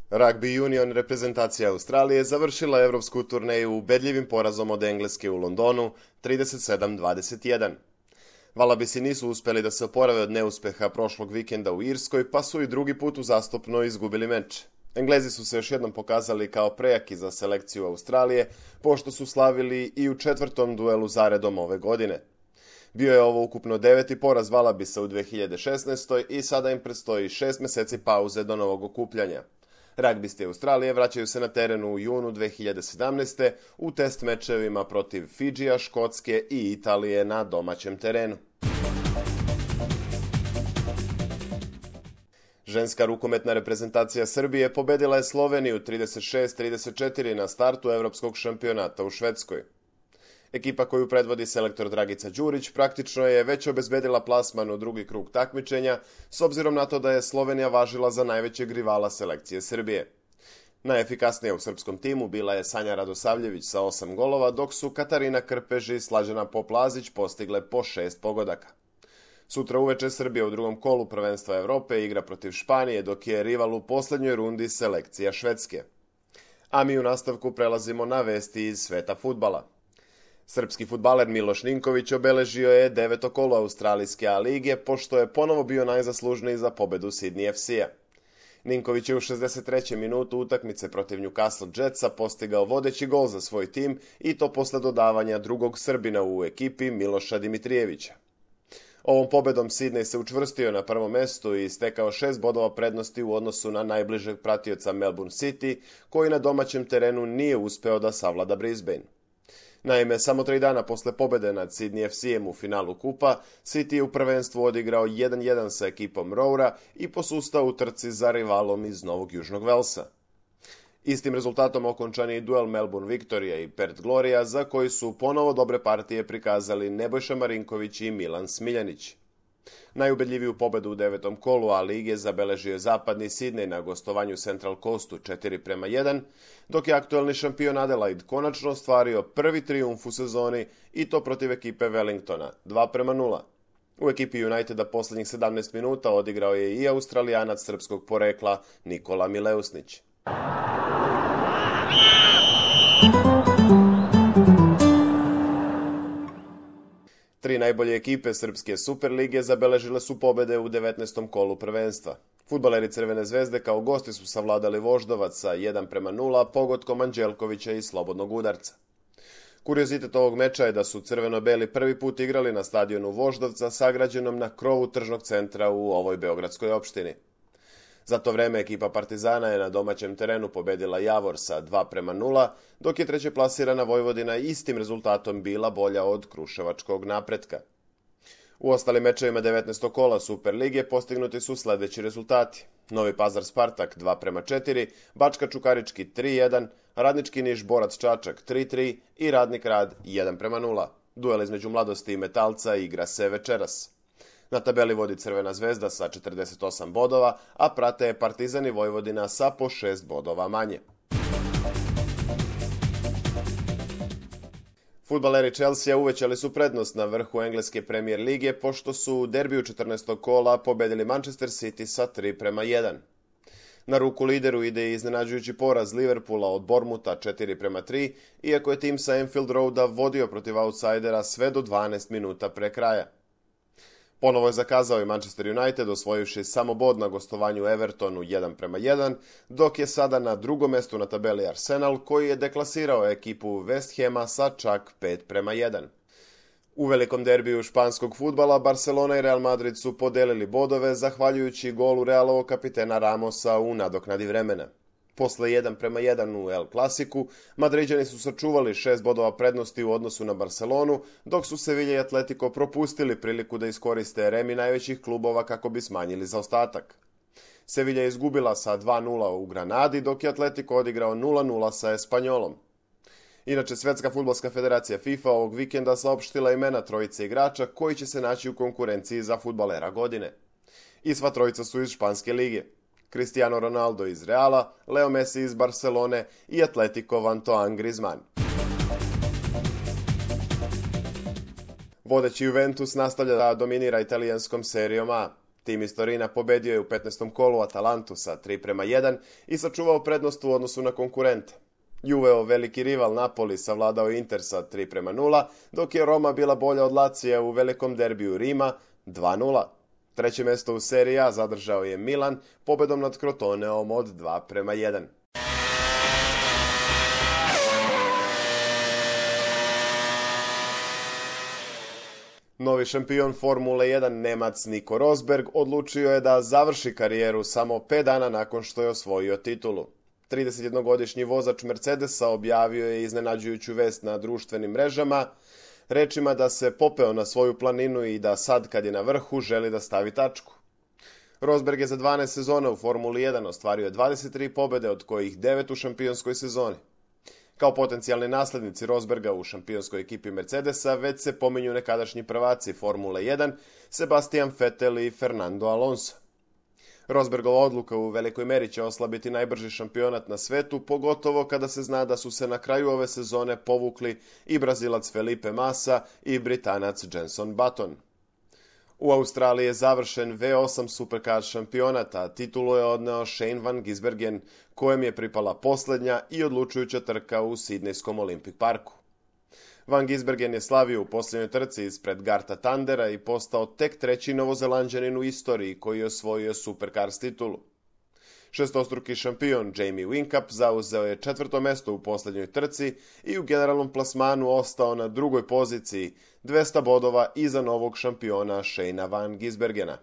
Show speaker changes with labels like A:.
A: Rugby Union reprezentacija Australije završila evropsku turneju ubedljivim porazom od Engleske u Londonu 37-21. Valabisi nisu uspeli da se oporave od neuspeha prošlog vikenda u Irskoj, pa su i drugi put uzastopno izgubili meč. Englezi su se još jednom pokazali kao prejaki za selekciju Australije, pošto su slavili i u četvrtom duelu zaredom ove godine. Bio je ovo ukupno 9. poraz Valabisa u 2016. i sada im predstoji 6 meseci pauze do novog okupljanja. Ragbisti Australije vraćaju se na terenu u junu 2017. u test mečevima protiv Fidžija, Škotske i Italije na domaćem terenu. Ženska rukometna reprezentacija Srbije pobedila je Sloveniju 36-34 na startu evropskog šampionata u Švedskoj. Ekipa koju predvodi selektor Dragica Đurić praktično je već obezbedila plasman u drugi krug takmičenja, s obzirom na to da je Slovenija važila za najvećeg rivala selekcije Srbije. Najefikasnija u srpskom timu bila je Sanja Radosavljević sa 8 golova, dok su Katarina Krpež i Slađana Poplazić postigle po 6 pogodaka. Sutra uveče Srbija u drugom kolu prvenstva Evrope igra protiv Španije, dok je rival u poslednjoj rundi selekcija Švedske. A mi u nastavku prelazimo na vesti iz sveta fudbala. Srpski fudbaler Miloš Ninković obeležio je 9. kolo Australijske A lige, pošto je ponovo bio najzaslužniji za pobedu Sydney FC-a. Ninković je u 63. minutu utakmice protiv Newcastle Jetsa postigao vodeći gol za svoj tim i to posle dodavanja drugog Srbina u ekipi Miloša Dimitrijevića. Ovom pobedom Sydney se učvrstio na prvom mestu i stekao 6 bodova prednosti u odnosu na najbližeg pratioca Melbourne City, koji na domaćem terenu nije uspeo da savlada Brisbane. Naime, samo 3 dana posle pobede nad Sydney FC-em u finalu kupa, City je u prvenstvu odigrao 1-1 sa ekipom Roura i posustao u trci za rivalom iz Novog Južnog Velsa. Istim rezultatom okončan je i duel Melbourne Victoria i Perth Gloria, za koji su ponovo dobre partije prikazali Nebojša Marinković i Milan Smiljanić. Najubedljiviju pobedu u 9. kolu A lige zabeležio je zapadni Sydney na gostovanju Central Coastu 4-1, dok je aktuelni šampion Adelaide konačno ostvario prvi trijumf u sezoni i to protiv ekipe Wellingtona 2-0. U ekipi Uniteda poslednjih 17 minuta odigrao je i Australijanac srpskog porekla Nikola Mileusnić. Tri najbolje ekipe Srpske Superlige zabeležile su pobede u 19. kolu prvenstva. Fudbaleri Crvene zvezde kao gosti su savladali Voždovac sa 1-0 pogodkom Anđelkovića i slobodnog udarca. Kuriozitet ovog meča je da su crveno-beli prvi put igrali na stadionu Voždovca sagrađenom na krovu tržnog centra u ovoj beogradskoj opštini. Za to vreme ekipa Partizana je na domaćem terenu pobedila Javor sa 2-0, dok je treće plasirana Vojvodina istim rezultatom bila bolja od kruševačkog Napretka. U ostalim mečevima 19. kola Superlige postignuti su sledeći rezultati: Novi Pazar Spartak 2-4, Bačka Čukarički 3-1, Radnički Niš Borac Čačak 3-3 i Radnik Rad 1-0. Duel između Mladosti i Metalca igra se večeras. Na tabeli vodi Crvena zvezda sa 48 bodova, a prate je Partizan i Vojvodina sa po 6 bodova manje. Fudbaleri Chelsea uvećali su prednost na vrhu engleske Premier lige, pošto su u derbiju 14. kola pobedili Manchester City sa 3-1. Na ruku lideru ide i iznenađujući poraz Liverpoola od Bournemoutha 4-3, iako je tim sa Anfield Roada vodio protiv outsidera sve do 12 minuta pre kraja. Ponovo je zakazao i Manchester United, osvojivši samo bod na gostovanju Evertonu 1-1, dok je sada na drugom mestu na tabeli Arsenal, koji je deklasirao ekipu West Hama sa čak 5-1. U velikom derbiju španskog fudbala Barcelona i Real Madrid su podelili bodove zahvaljujući golu Realovog kapitena Ramosa u nadoknadi vremena. Posle 1-1 u El Clasiku, Madriđani su sačuvali 6 bodova prednosti u odnosu na Barcelonu, dok su Sevilla i Atletico propustili priliku da iskoriste remi najvećih klubova kako bi smanjili zaostatak. Sevilla je izgubila sa 2-0 u Granadi, dok je Atletico odigrao 0-0 sa Espanjolom. Inače, Svetska fudbalska federacija FIFA ovog vikenda saopštila imena trojice igrača koji će se naći u konkurenciji za fudbalera godine. I sva trojica su iz Španske lige: Cristiano Ronaldo iz Reala, Leo Messi iz Barcelone i Atletikov Antoine Griezmann. Vodeći Juventus nastavlja da dominira italijanskom serijom A. Tim iz Torina pobedio je u 15. kolu Atalantu sa 3:1 i sačuvao prednost u odnosu na konkurente. Juveo veliki rival Napoli savladao Inter sa 3:0, dok je Roma bila bolja od Lacija u velikom derbiju Rima 2:0. Treće mesto u seriji A zadržao je Milan pobedom nad Crotoneom od 2:1. Novi šampion Formule 1 Nemac Nico Rosberg odlučio je da završi karijeru samo 5 dana nakon što je osvojio titulu. 31-godišnji vozač Mercedesa objavio je iznenađujuću vest na društvenim mrežama, rečima da se popeo na svoju planinu i da sad kad je na vrhu želi da stavi tačku. Rosberg je za 12 sezona u Formuli 1 ostvario 23 pobede, od kojih 9 u šampionskoj sezoni. Kao potencijalni naslednici Rosberga u šampionskoj ekipi Mercedesa već se pominju nekadašnji prvaci Formule 1 Sebastian Vettel i Fernando Alonso. Rosbergova odluka u velikoj meri će oslabiti najbrži šampionat na svetu, pogotovo kada se zna da su se na kraju ove sezone povukli i Brazilac Felipe Massa i Britanac Jenson Button. U Australiji je završen V8 Supercar šampionat, a titulu je odneo Shane Van Gisbergen, kojem je pripala posljednja i odlučujuća trka u Sidnejskom Olympic Parku. Van Gisbergen je slavio u posljednjoj trci ispred Garta Tandera i postao tek treći Novozelanđanin u istoriji koji je osvojio Supercars titulu. Šestostruki šampion Jamie Whincup zauzeo je 4. mesto u posljednjoj trci i u generalnom plasmanu ostao na 2. poziciji, 200 bodova iza novog šampiona Shanea Van Gisbergena.